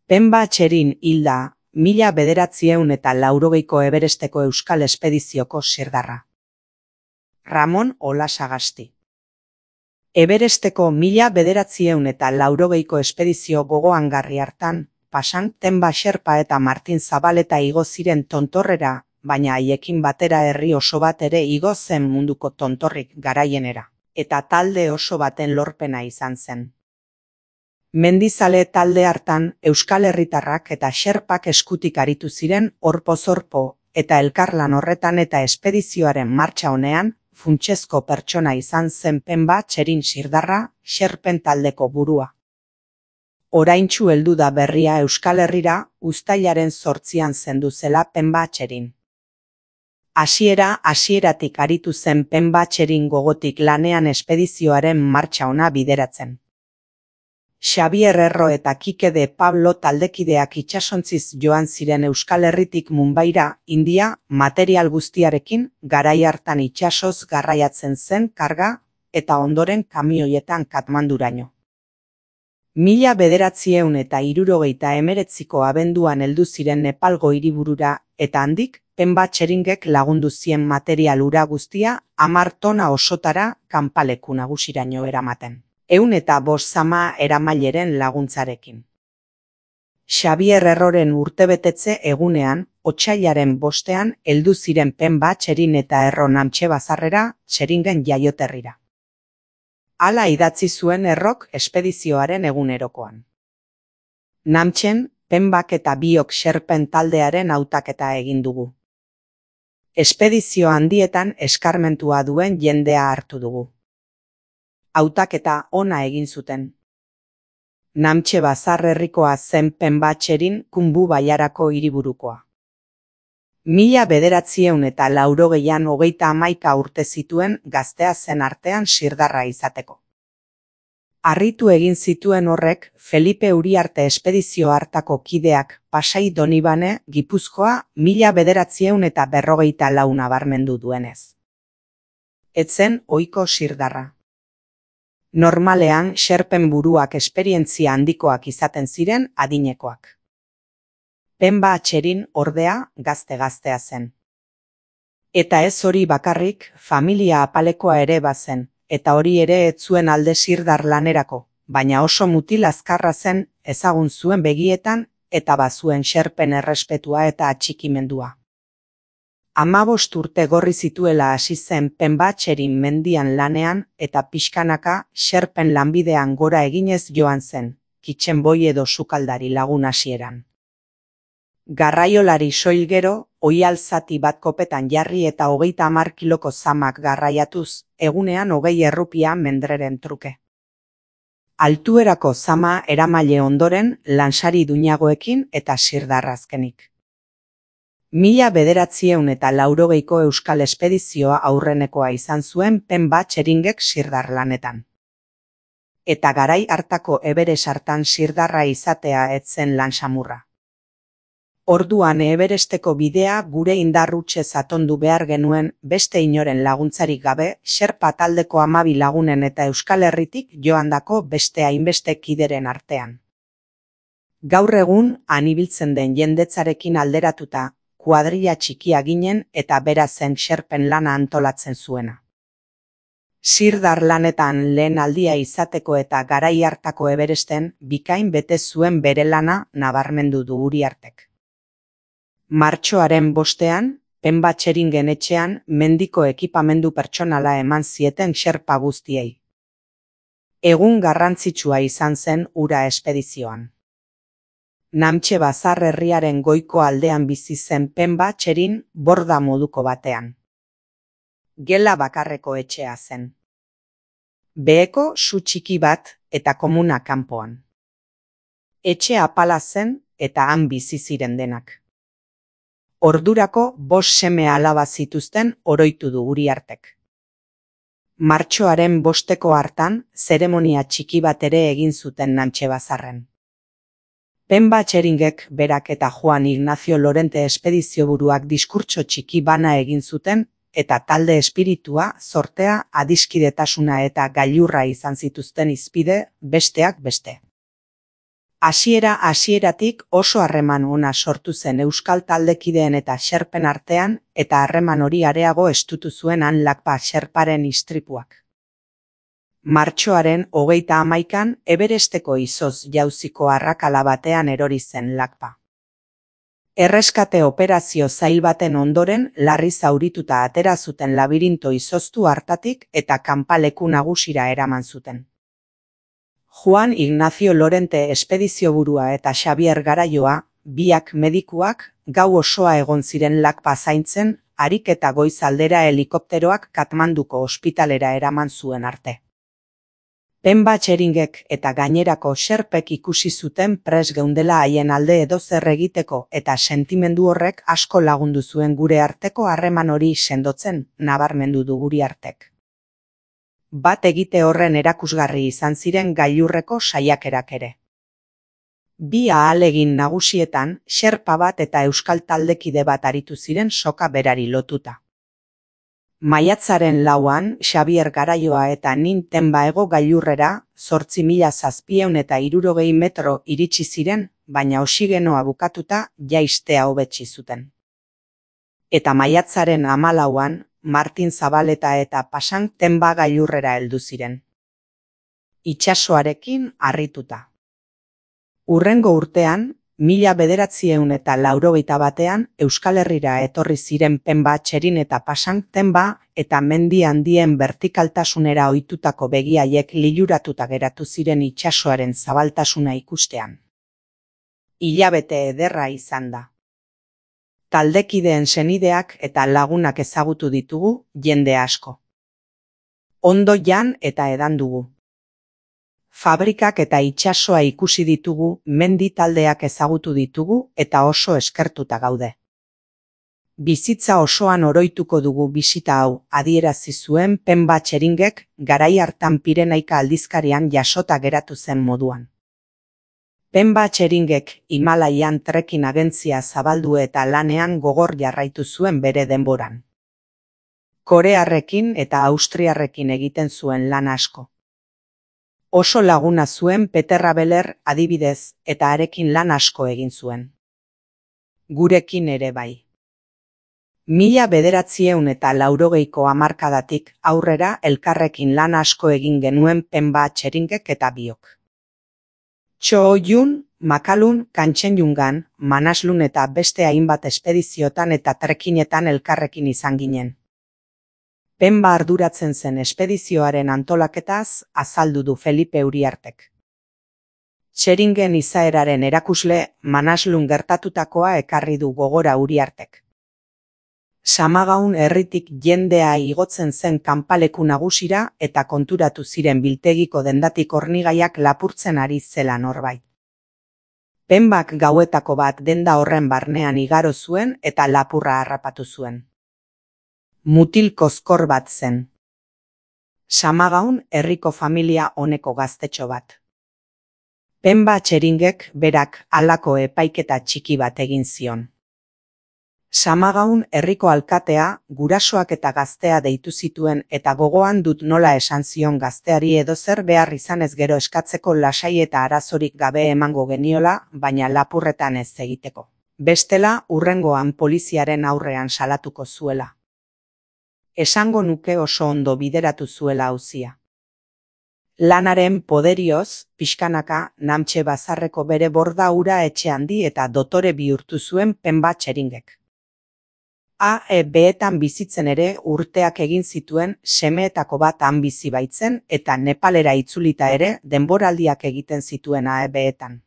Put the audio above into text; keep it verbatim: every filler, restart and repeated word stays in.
Penba Txerin hilda, mila bederatziehun eta laurogeiko Everesteko Euskal Espedizioko sirdarra. Ramon Olasagasti. Everesteko mila bederatziehun eta laurogeiko espedizio gogoangarri hartan, pasan Tenba Xerpa eta Martin Zabaleta igo ziren tontorrera, baina haiekin batera herri oso bat ere igo zen munduko tontorrik garaienera, eta talde oso baten lorpena izan zen. Mendizale talde hartan Euskal Herritarrak eta Xerpak eskutik aritu ziren orpo-zorpo, eta elkarlan horretan eta espedizioaren martxa honean, funtsezko pertsona izan zen Penba Txerin sirdarra, Xerpen taldeko burua. Oraintsu heldu da berria Euskal Herrira, uztailaren zortzian zendu zela Penba Txerin. Hasiera hasieratik aritu zen Penba Txerin gogotik lanean espedizioaren martxa ona bideratzen. Xabier Erro eta Kike de Pablo taldekideak itsasontziz joan ziren Euskal Herritik Mumbaira, India, material guztiarekin, garai hartan itsasoz garraiatzen zen karga, eta ondoren kamioietan Katmanduraino. Mila bederatziehun eta hirurogeita hemeretziko abenduan heldu ziren Nepalgo hiriburura, eta handik, Penba Txeringek lagundu zien material ura guztia hamar tona osotara kanpaleku nagusiraino eramaten. Ehun eta bost zama eramaileren laguntzarekin. Xabier Erroren urtebetetze egunean, otsailaren bostean heldu ziren Penba Txerin eta Erro Namtxe Bazarrera, Txeringen jaioterrira. Hala idatzi zuen Errok espedizioaren egunerokoan. Namtxen, Penbak eta biok Xerpen taldearen hautaketa egin dugu. Espedizio handietan eskarmentua duen jendea hartu dugu. Hautaketa ona egin zuten. Namtxe Bazar herrikoa zen Penba Txerin Kunbu Baiarako hiriburukoa. Mila bederatziehun eta laurogeian hogeita hamaika urte zituen gaztea zen artean sirdarra izateko. Harritu egin zituen horrek Felipe Uriarte espedizio hartako kideak Pasai Donibane, Gipuzkoa, mila bederatziehun eta berrogeita lau nabarmendu duenez. Etzen ohiko sirdarra. Normalean, Xerpen buruak esperientzia handikoak izaten ziren adinekoak. Penba Txerin ordea gazte-gaztea zen. Eta ez hori bakarrik, familia apalekoa ere bazen, eta hori ere ez zuen alde sirdar lanerako, baina oso mutil azkarra zen, ezagun zuen begietan, eta bazuen Xerpen errespetua eta atxikimendua. Hamabost urte gorri zituela hasi zen Penba Txerin mendian lanean eta pixkanaka Xerpen lanbidean gora eginez joan zen, kitxenboi edo sukaldari lagun hasieran. Garraiolari soil gero, oihal zati bat kopetan jarri eta hogeita hamar kiloko zamak garraiatuz, egunean hogei errupia mendreren truke. Altuerako zama eramaile ondoren lansari duinagoekin eta sirdarrazkenik. Mila bederatziehun eta laurogeiko Euskal Espedizioa aurrenekoa izan zuen Penba Txeringek sirdar lanetan. Eta garai hartako Everest hartan sirdarra izatea ez zen lan samurra. Orduan Everesteko bidea gure indarrutxe atondu behar genuen beste inoren laguntzarik gabe Xerpa taldeko hamabi lagunen eta Euskal Herritik joandako beste hainbeste kideren artean. Gaur egun han ibiltzen den jendetzarekin alderatuta, kuadrilla txikia ginen eta bera zen Xerpen lana antolatzen zuena. Sirdar lanetan lehen aldia izateko eta garai hartako Everesten bikain bete zuen bere lana nabarmendu du Uriartek. Martxoaren bostean, Penba Txeringen etxean mendiko ekipamendu pertsonala eman zieten Xerpa guztiei. Egun garrantzitsua izan zen hura espedizioan. Namtxe Bazar herriaren goiko aldean bizi zen Penba Txerin borda moduko batean. Gela bakarreko etxea zen. Beheko su txiki bat eta komuna kanpoan. Etxe apala zen eta han bizi ziren denak. Ordurako bost seme alaba zituzten oroitu du Uriartek. Martxoaren bosteko hartan zeremonia txiki bat ere egin zuten Namtxe Bazarren. Penba Txeringek berak eta Juan Ignacio Lorente espedizioburuak diskurtso txiki bana egin zuten eta talde espiritua, zortea, adiskidetasuna eta gailurra izan zituzten hizpide, besteak beste. Hasiera hasieratik oso harreman ona sortu zen euskal taldekideen eta xerpen artean, eta harreman hori areago estutu zuen han Lakpa xerparen istripuak. Martxoaren hogeita hamaikan Everesteko izoz jauziko arrakala batean erori zen Lakpa. Erreskate operazio zail baten ondoren larri zaurituta atera zuten labirinto izoztu hartatik eta kanpaleku nagusira eraman zuten. Juan Ignacio Lorente espedizioburua eta Xabier Garaioa, biak medikuak, gau osoa egon ziren Lakpa zaintzen, harik eta goiz aldera helikopteroak Katmanduko ospitalera eraman zuen arte. Penba Txeringek eta gainerako xerpek ikusi zuten pres geundela haien alde edozer egiteko eta sentimendu horrek asko lagundu zuen gure arteko harreman hori sendotzen, nabarmendu du Uriartek. Bat egite horren erakusgarri izan ziren gailurreko saiakerak ere. Bi ahalegin nagusietan, xerpa bat eta euskal taldekide bat aritu ziren soka berari lotuta. Maiatzaren lauan, Xabier Garaioa eta nin Tenba hego gailurrera, zortzi mila zazpiehun eta hirurogei metro iritsi ziren, baina oxigenoa bukatuta jaistea hobetsi zuten. Eta maiatzaren hamalauan, Martin Zabaleta eta Pasan Tenba gailurrera heldu ziren. Itsasoarekin harrituta. Hurrengo urtean, mila bederatziehun eta laurogeita batean, Euskal Herrira etorri ziren Penba Txerin eta Pasan Tenba eta mendi handien bertikaltasunera ohitutako begiaiek liluratuta geratu ziren itsasoaren zabaltasuna ikustean. Hilabete ederra izan da. Taldekideen senideak eta lagunak ezagutu ditugu, jende asko. Ondo jan eta edan dugu. Fabrikak eta itsasoa ikusi ditugu, mendi taldeak ezagutu ditugu eta oso eskertuta gaude. Bizitza osoan oroituko dugu bisita hau, adierazi zuen Penba Txeringek garai hartan Pirenaika aldizkarian jasota geratu zen moduan. Penba Txeringek Himalaian trekin agentzia zabaldu eta lanean gogor jarraitu zuen bere denboran. Korearrekin eta Austriarrekin egiten zuen lan asko. Oso laguna zuen Peter Rabeler adibidez eta harekin lan asko egin zuen. Gurekin ere bai. Mila bederatziehun eta laurogeiko hamarkadatik aurrera elkarrekin lan asko egin genuen Penba Txeringek eta biok. Txo-Yun, Makalun, Kantxen-Jungan, Manaslun eta beste hainbat espediziotan eta trekinetan elkarrekin izan ginen. Penba arduratzen zen espedizioaren antolaketaz azaldu du Felipe Uriartek. Txeringen izaeraren erakusle Manaslun gertatutakoa ekarri du gogora Uriartek. Samagaun herritik jendea igotzen zen kanpaleku nagusira eta konturatu ziren biltegiko dendatik hornigaiak lapurtzen ari zela norbait. Penbak gauetako bat denda horren barnean igaro zuen eta lapurra harrapatu zuen. Mutil kozkor bat zen. Samagaun herriko familia honeko gaztetxo bat. Penba Txeringek berak halako epaiketa txiki bat egin zion. Samagaun herriko alkatea, gurasoak eta gaztea deitu zituen eta gogoan dut nola esan zion gazteari edozer behar izanez gero eskatzeko lasai eta arazorik gabe emango geniola, baina lapurretan ez egiteko. Bestela, hurrengoan poliziaren aurrean salatuko zuela. Esango nuke oso ondo bideratu zuela auzia. Lanaren poderioz, pixkanaka, Namtxe bazarreko bere borda ura etxe handi eta dotore bihurtu zuen Penba Txeringek. A E B-etan bizitzen ere urteak egin zituen, semeetako bat han bizi baitzen eta Nepalera itzulita ere denboraldiak egiten zituen A E B-etan.